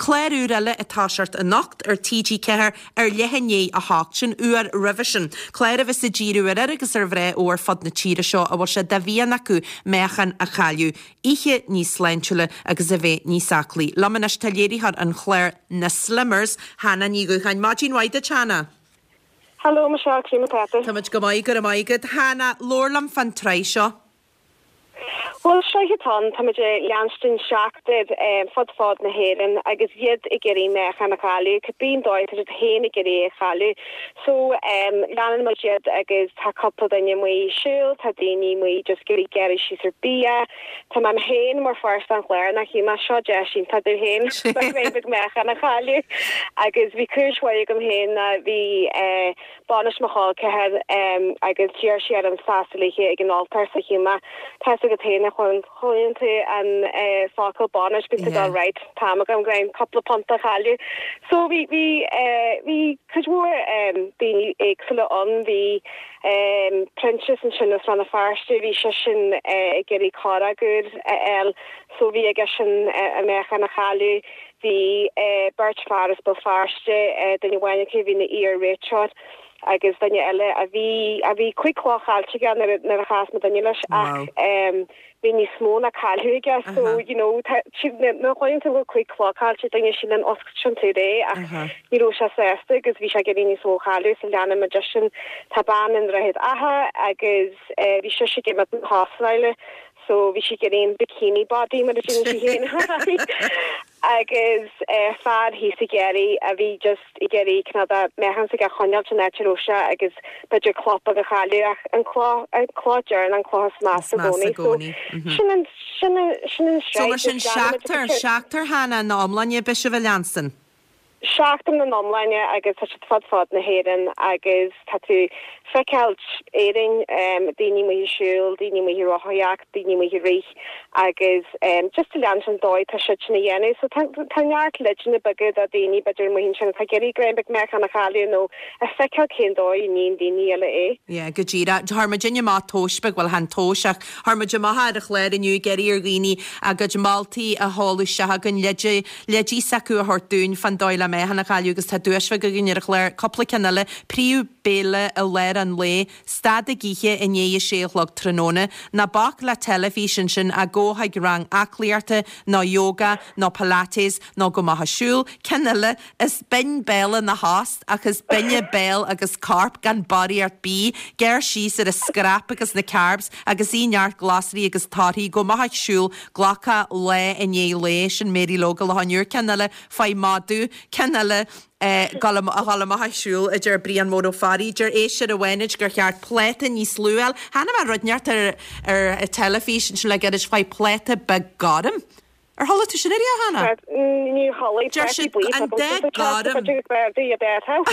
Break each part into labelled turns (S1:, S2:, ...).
S1: Clár úr eile ag toiseacht anocht ar TG4 ar leath i ndiaidh a hocht, sin uair roimhe sin. Clár a bheas ag díriú ar fhir agus ar mhná ó ar fud na tíre seo a bhfuil sé de mhian acu meáchan a chailleadh, ithe níos sláintiúla agus a bheith níos aclaí. Liom anois tá léiritheoir an chláir Na Slimmers, Hannah Ní Dhúcháin. Maidin mhaith duit, Hannah.
S2: Hello Michelle, cén chaoi atá tú?
S1: Táimid go maith, go raibh maith agat. Hannah, labhair liom fán tsraith seo.
S2: Bhuel, sraith atá ann, táimid ag leanstan seachtar fud fad na hÉireann agus iad ag iarraidh meáchan a chailleadh, cibé an dóigh atá siad féin ag iarraidh é a chailleadh. So, leanann muid iad agus tá cúpla duine amuigh ag siúl, tá daoine amuigh just ag iarraidh gearradh síos ar bia. Tá mé féin mar pháirt den chlár nach ionadh, seo deis iontach domh féin roinnt beag meáchan a chailleadh agus bhí cúis mhaith agam féin ná bhí eh, Bainis mo chol ceathar agus d'iarr sí orm seasamh léithe ag an altóir so shíl mé, tá's agat féin a chluineann tú an focal bainis bíonn tú ag dul right, tá am agam greim cúpla punta a chailleadh. So bhí, bhí, bhí cuid mhór daoine éagsúla ann, bhí Proinsias ansin as Rann na Feirste, bhí seisean ag iarraidh corrach úr a fháil so bhí aigesean a mheáchan a chailleadh. Bhí beirt fear as Béal Feirste, duine amháin acu a bhí ina iar-réiteoir agus duine eile a bhí, a bhí 5 chló caillte aige nuair a, nuair a chas muid duine leis ach bhí níos mó ná cailleadh aige so you know tá, nuair a chluineann tú go bhfuil 5 chló caillte ag duine síleann oscailt sin tú é ach ní raibh sé sásta agus bhí sé ag iarraidh níos mó a chailleadh so leanann muid eisean. Tá bean i nDroichead Átha agus bhí sise ag imeacht na hAstráile So bhí sí ag iarraidh an bikini body mar a deireann sí féin agus fear thíos i gCiarraí a bhí just ag iarraidh cineál de meáchan s'aige a choinneáilt san áit a raibh sé agus b'fhéidir cló beag a chailleadh ach an cló an cló deireanach an cló is measa i gcónaí. So sin an sin an sin an
S1: So mar sin seachtar seachtar Hannah ina iomláine beidh sibh a leanstan.
S2: Seachtar ina n-iomláine agus tá siad fud fad na hÉireann agus tá tú feiceáilt Éirinn, daoine amuigh ag siúl, daoine amuigh ag rothaíocht, daoine amuigh ag rith agus just ag leanstan an dóigh atá siad sin a dhéanamh. So tá tá neart leideanna beaga do daoine b'fhéidir amuigh ansin atá ag iarraidh greim beag meáchan a chailleadh nó ag feiceáil cén dóigh a níonn daoine eile é.
S1: Yeah, go díreach. Chuir muidinne amach tomhas beag, bhuel chan tomhas ach chuir muid amach ar an chlár inniu ag iarraidh ar dhaoine a gcuid moltaí a sheoladh isteach chugainn, leide, leidí s'acu a thabhairt dúinn fán dóigh le meáchan a chailleadh agus tá duais bheag againn ar an chlár, cúpla ceann eile, príomh béile i lár an lae, stad ag ithe i ndiaidh a sé a chlog tráthnóna, ná bac le teilifís ansin ach gabh chuig rang aclaíochta nó yoga nó pilates nó gabh amach ag siúl, ceann eile, is binn béal ina thost ach is binne béal agus corp gan barraíocht bídh, gearr síos ar an scrap agus na carbs agus ith neart glasraí agus torthaí, gabh amach ag siúl, glacadh lá i ndiaidh lae, sin Mary Ló go Loch an Iúir, ceann eile, faigh madadh, ceann eile, gabh a dhul amach ag siúl, a deir Brian Mór Ó Fearraigh, deir éisteoir amháin gur cheart pláta níos lú a fháil, chonaic mé rud inteacht ar ar teilifís ansin le gairid, faigh pláta beag gorm. Ar chuala tú sin ariamh, Hannah?
S2: Níor chuala,
S1: Deir
S2: plátaí
S1: siad
S2: buí
S1: an dath gorm.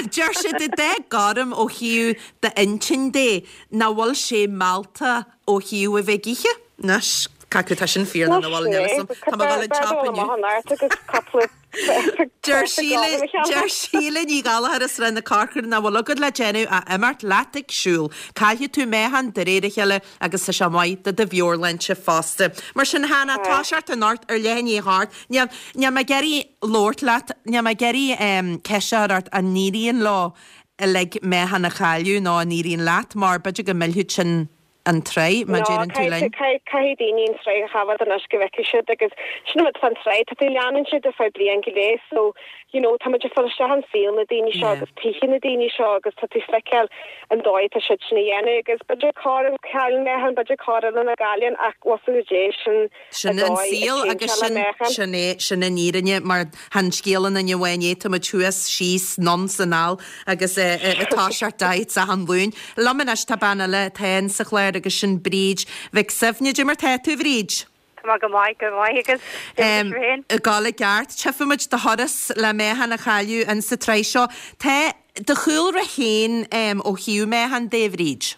S1: Deir siad an dath gorm ó thaobh d'intinn de, nach bhfuil sé mealltach ó thaobh a bheith ag ithe. Anois, cé acu tá sin fíor nó nach bhfuil, níl 'fhios a'm. Tá mé ag dul an tsiopa inniu. Deir Síle, deir Síle Ní Ghallchóir as Srath na Corcra nach bhfuil agat le déanamh ach imeacht leat ag siúl. Caillfidh tú meáchan de réir a chéile agus tá sé maith do do mheabhairshláinte fosta. Mar sin, Hannah, toiseacht anocht ar leath i ndiaidh a hocht. Níl, níl mé ag iarraidh labhairt leat, níl mé ag iarraidh ceist a chur ort an n-éiríonn leo uilig meáchan a chailleadh nó an n-éiríonn leat mar b'fhéidir go millfeadh sin an tsraith, mar
S2: No,
S1: deireann tú linn.
S2: caithfidh daoine an tsraith a choimhéad anois go bhfeicfidh siad agus sin an rud fán tsraith, tá tú ag leanúint siad ar feadh bliain go leith so you know tá muid ag fáil isteach in saol na daoine seo agus tithe na daoine seo agus tá tú ag feiceáil an dóigh atá siad sin a dhéanamh agus b'fhéidir corr a chailleann meáchan, b'fhéidir corr eile nach gcailleann ach bhfuil a fhios agat sin
S1: Sin an saol agus sin, sin é, sin an fhírinne mar chan scéal aon duine amháin é, tá muid thuas, síos, anonn 's anall agus ag toiseacht diets achan Luan. Liom anois tá bean eile atá in sa chlár agus sin Bríd Mhic Suibhne. Cad é mar tá tú, a Bhríd?
S3: Tá mé go maith, go maith agus cad é mar féin?
S1: Ag gabháil i gceart. Tchífidh muid do thuras le meáchan a chailleadh in sa tsraith seo. Tá do chúlra féin ó thaobh meáchan de, a Bhríd?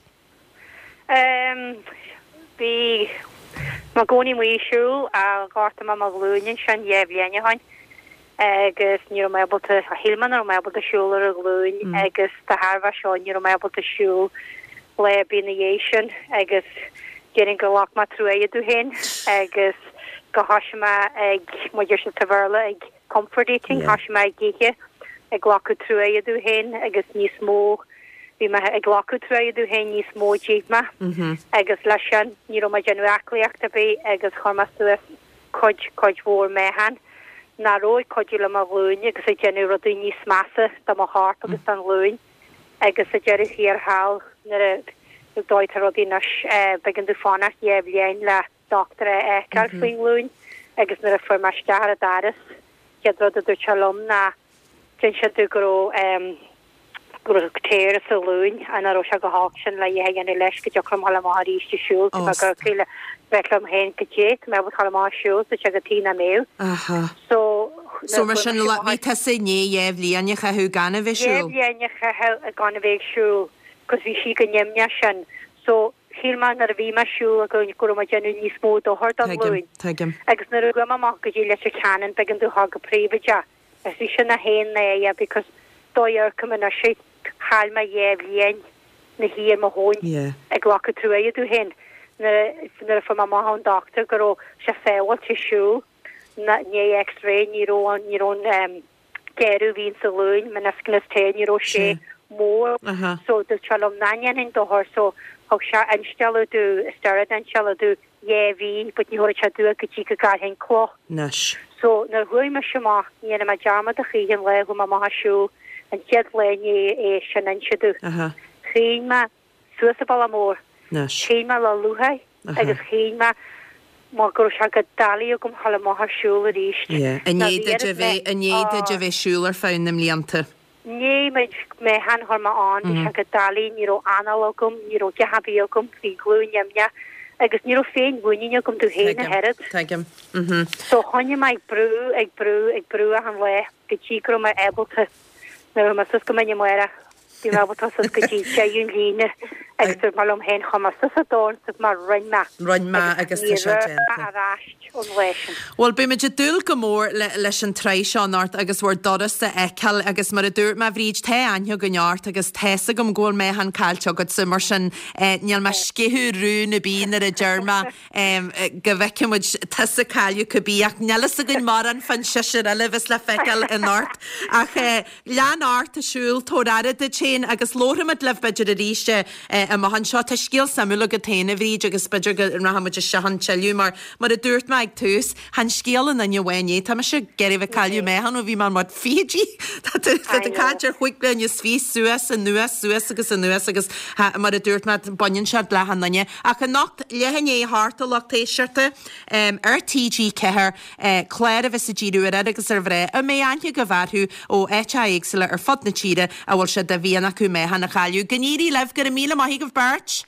S3: Bhí mé i gcónaí amuigh ag siúl ach ghortaigh mé mo ghlúin ansin dhá bhliain ó shoin agus ní raibh mé ábalta, shíl mé nach raibh mé ábalta siúl ar an ghlúin agus de thairbhe seo ní raibh mé ábalta siúl lá ar bith ina dhiaidh sin agus déarfainn gur ghlac mé truaighe domh féin agus go thoisigh mé ag, mar a deir siad sa Bhéarla, ag. comfort eating, thoisigh mé ag ithe, ag glacadh truaighe domh féin agus níos mó, bhí mé ag glacadh truaighe domh féin níos mó d'ith mé agus leis sin ní raibh mé ag déanamh aclaíocht ar bith agus chuir mé suas cuid, cuid mhór meáchan nach raibh ag cuidiú le mo ghlúin agus ag déanamh rudaí níos measa do mo chorp agus don ghlúin agus sa deireadh thiar thall nuair a dóigh tá rudaí anois b'éigean domh fanacht dhá bhliain le dochtúir a fheiceáil faoin nglúin agus nuair a fuair mé isteach ar an doras chéad rud a dúirt sé liom ná d'inis sé domh go raibh go raibh tear sa ghlúin ach nach raibh sé chomh holc sin le a dhath a dhéanamh leis go dtiocfadh liom dhul amach arís ag siúl Tá mé ag cur le bheith liom féin goidé tá mé ábalta dhul amach ag siúl sa go tí nach mbeadh.
S1: Aha. So So mar sin bhí tusa i ndiaidh dhá bhliain a chaitheamh gan a bheith ag
S3: siúl? Dhá bhliain a chaitheamh gan a bheith ag siúl 'cause bhí sí chomh nimhneach sin. So Shíl mé nuair a bhí mé ag siúl go raibh mé ag déanamh níos mó dochair don ghlúin.
S1: Tuigim.
S3: Agus nuair a chuaigh mé amach go dtí Leitir Ceanainn b'éigean domh dhul go príobháideach agus bhí sin a haon náire because dóigh a amharcaim anois air chaill mé dhá bhliain 'na shuí ar mo thóin ag glacadh truaighe domh féin nuair a fuair mé amach ón dochtúir go raibh sé sábháilte siúl i ndiaidh x-ray ní raibh ní raibh an gearradh a bhí insa ghlúin, meniscus tear, ní raibh sé mór so dúirt sé liom nach ndéanfainn dochar so thug sé instealladh domh, steroid instealladh domh dhá mhí but ní thabharfadh sé domh go dtí go gcaillfinn cloch.
S1: Anois.
S3: So nuair a chuaigh mise amach, ní dhéanfaidh mé dearmad a choíche an lá a chuaigh mé amach ag siúl, an chéad lá i ndiaidh é sin a inse domh. Shín mé suas an bealach mór. Shín mé le lúcháir agus shín mé mar go raibh sé go doiligh agam dhul amach ag siúl arís.
S1: I ndiaidh duit a bheith, i ndiaidh duit a bheith ag siúl ar feadh na mblianta.
S3: I ndiaidh meáchan a chuir mé ann, bhí sé go doiligh, ní raibh anáil agam, ní raibh a dhath ar bith agam, bhí glúin nimhneach agus ní raibh féin-mhuinín agam domh féin ach oiread.
S1: Tuigim. Mhm.
S3: So choinnigh mé ag brú, ag brú, ag brú achan lá go dtí go raibh mé ábalta, nuair a chuaigh mé suas go Mín na Mara, Bhí mé ábalta suas go dtí deireadh an líne agus dúirt mé liom féin chuaigh mé suas an dorn is mar rinne mé.
S1: Rinne mé agus tá sé déanta.
S3: ar ais ón lá sin.
S1: Bhuel, beimid ag dúil go mór leis an tsraith seo anocht agus bhur dturas a fheiceáil agus mar a dúirt mé, a Bhríd, tá aithne againn ort agus tá's agam go bhfuil meáchan caillte agatsa, mar sin níl mé ag sceitheadh rún ar bith nuair a deir mé go bhfeicfidh muid tusa ag cailleadh cibé ach níl fhios againn mórán fán seisear eile a bheas le feiceáil anocht. Ach lean ort ag siúl, tabhair aire duit féin agus labharfaimid libh b'fhéidir arís amach anseo. Tá scéal suimiúil agat féin, a Bhríd, agus b'fhéidir go rachaidh muid isteach ann tuilleadh mar, mar a dúirt mé ag tús, chan scéal an duine amháin é. Tá mise ag iarraidh bheith ag cailleadh meáchan ó bhí mé in mo fichidí. Tá tú ag caint ar chúig bliana is fiche suas, anuas, suas agus anuas agus mar a dúirt mé, baineann sé le achan duine. Ach anocht, leath i ndiaidh a hocht, a lucht éisteachta, ar TG4, clár a bheas ag díriú ar fhir agus ar mhná a mbeidh aithne agaibh orthu ó áiteacha éagsúla ar fud na tíre a bhfuil sé de mhian acu meáchan a chailleadh. Go n-éirí libh, go raibh míle maith agaibh beirt!